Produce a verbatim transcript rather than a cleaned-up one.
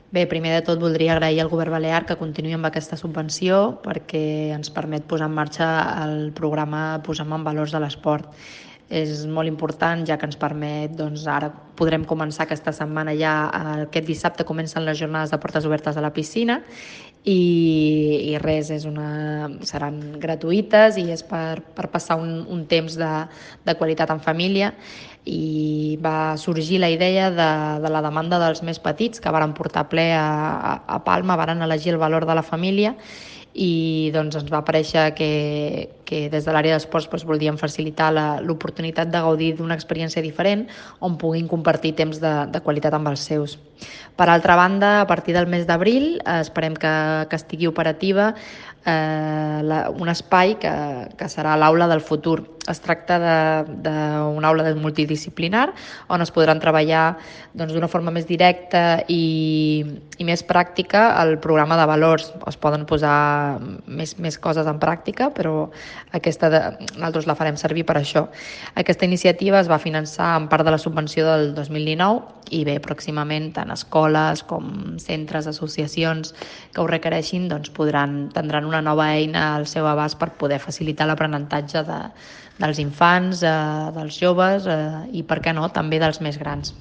Bé, primer de tot voldria agrair al Govern Balear que continuï amb aquesta subvenció perquè ens permet posar en marxa el programa Posem en Valors de l'Esport. És molt important, ja que ens permet, doncs ara podrem començar aquesta setmana ja, aquest dissabte comencen les jornades de portes obertes a la piscina i, i res, és una, seran gratuïtes i és per, per passar un, un temps de, de qualitat en família, i va sorgir la idea de, de la demanda dels més petits que varen portar ple a, a, a Palma, varen elegir el valor de la família i doncs ens va aparèixer que, que des de l'àrea d'esports doncs, volíem facilitar l'oportunitat de gaudir d'una experiència diferent on puguin compartir temps de, de qualitat amb els seus. Per altra banda, a partir del mes d'abril eh, esperem que, que estigui operativa eh, la, un espai que, que serà l'aula del futur. Es tracta d'una aula multidisciplinar on es podran treballar doncs, d'una forma més directa i, i més pràctica el programa de valors. Es poden posar més, més coses en pràctica, però aquesta de, nosaltres la farem servir per això. Aquesta iniciativa es va finançar en part de la subvenció del dos mil dinou i bé, pròximament tant escoles com centres, associacions que ho requereixin doncs podran, tindran una nova eina al seu abast per poder facilitar l'aprenentatge de, dels infants, eh, dels joves eh, i, per què no, també dels més grans.